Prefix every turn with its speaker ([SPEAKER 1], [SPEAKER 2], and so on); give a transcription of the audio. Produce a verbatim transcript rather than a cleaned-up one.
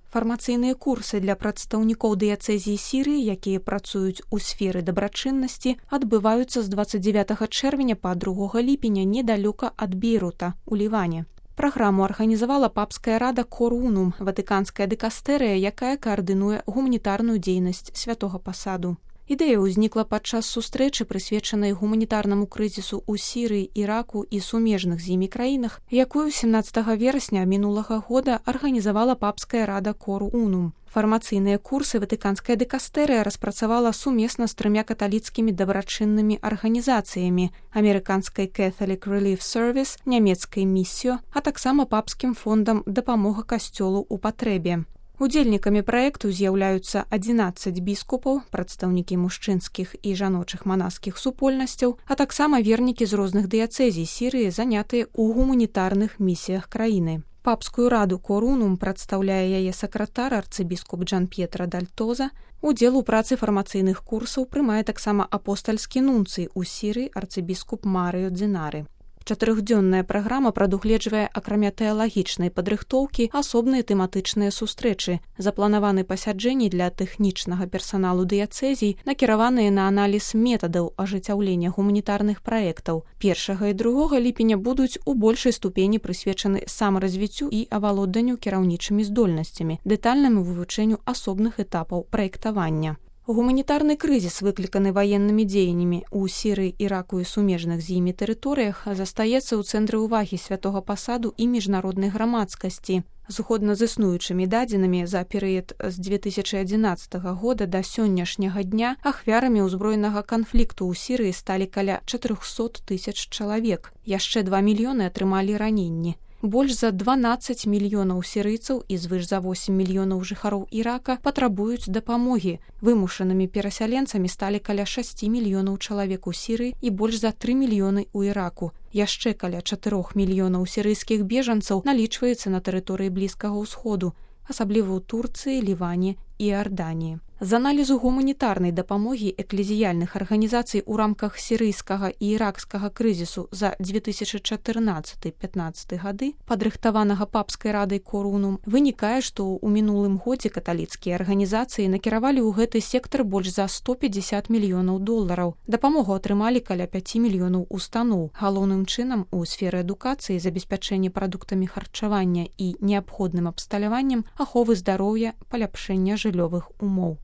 [SPEAKER 1] Фармацыйныя курсы для прадстаўнікоў дыяцэзіі Сірыі, якія працуюць у сферы дабрачыннасці, адбываюцца з дваццаць дзевятага чэрвеня па другога ліпеня недалёка ад Бейрута, у Ліване. Праграму арганізавала папская рада Кор Унум, ватыканская дыкастэрыя, якая каардынуе гуманітарную дзейнасць святога пасаду. Ідэя ўзнікла падчас сустрэчы, прысвечанай гуманітарнаму крызісу ў Сірыі, Іраку і сумежных з імі краінах, якую сямнаццатага верасня мінулага года арганізавала папская рада Кор Унум. Фармацыйныя курсы ватыканская дыкастэрыя распрацавала сумесна з трымя каталіцкімі дабрачыннымі арганізацыямі: амерыканскай Catholic Relief Service, нямецкай Місіо, а таксама папскім фондам дапамога касцёлу ў патрэбе. Удзельнікамі праекту з'яўляюцца адзінаццаць біскупаў, прадстаўнікі мужчынскіх і жаночых манаскіх супольнасцяў, а таксама вернікі з розных дыяцэзій Сірыі, занятыя ў гуманітарных місіях краіны. Папскую раду Кор Унум прадстаўляе яе сакратар арцыбіскуп Джан П'етра Дальтоза. Удзел у працы фармацыйных курсаў прымае таксама апостальскі нунцый у Сірыі арцыбіскуп Марыё Дзенары. Чатырохдзённая праграма прадугледжвае, акрамя тэалагічнай падрыхтоўкі, асобныя тэматычныя сустрэчы, запланаваны пасяджэнні для тэхнічнага персаналу дыяцэзій, накіраваныя на аналіз метадаў ажыццяўлення гуманітарных праектаў. Першага і другога ліпеня будуць у большай ступені прысвечаны самаразвіццю і авалоданню кіраўнічымі здольнасцямі, дэтальнаму вывучэнню асобных этапаў праектавання. Гуманітарны крызіс, выкліканы ваеннымі дзеяннямі ў Сірыі, Іраку і сумежных з імі тэрыторыях, застаецца ў цэнтры ўвагі святога пасаду і міжнароднай грамадскасці. Згодна з існуючымі дадзенымі, за перыяд з дзве тысячы адзінаццатага года да сённяшняга дня ахвярамі ўзброенага канфлікту ў Сірыі сталі каля чатырохсот тысяч чалавек. Яшчэ два мільёны атрымалі раненні. Больш за дванаццаць мільёнаў сірыйцаў і звыш за восем мільёнаў жыхароў Ірака патрабуюць дапамогі. Вымушанымі перасяленцамі сталі каля шасці мільёнаў чалавек у Сірыі і больш за тры мільёны ў Іраку. Яшчэ каля чатырох мільёнаў сірыйскіх бежанцаў налічваецца на тэрыторыі Блізкага ўсходу, асабліва ў Турцыі, Ліване і Арданіі. З аналізу гуманітарнай дапамогі эклезіяльных арганізацый у рамках сірыйскага і іракскага крызісу за дзве тысячы чатырнаццаты — пятнаццаты гады, падрыхтаванага папскай радай Кор Унум, вынікае, што ў мінулым годзе каталіцкія арганізацыі накіравалі ў гэты сектар больш за сто пятьдесят мільёнаў долараў. Дапамогу атрымалі каля пяць мільёнаў устаноў, галоўным чынам у сферы адукацыі, забеспячэння прадуктамі харчавання і неабходным абсталяваннем, аховы здароўя, паляпшэння жыллёвых умоў.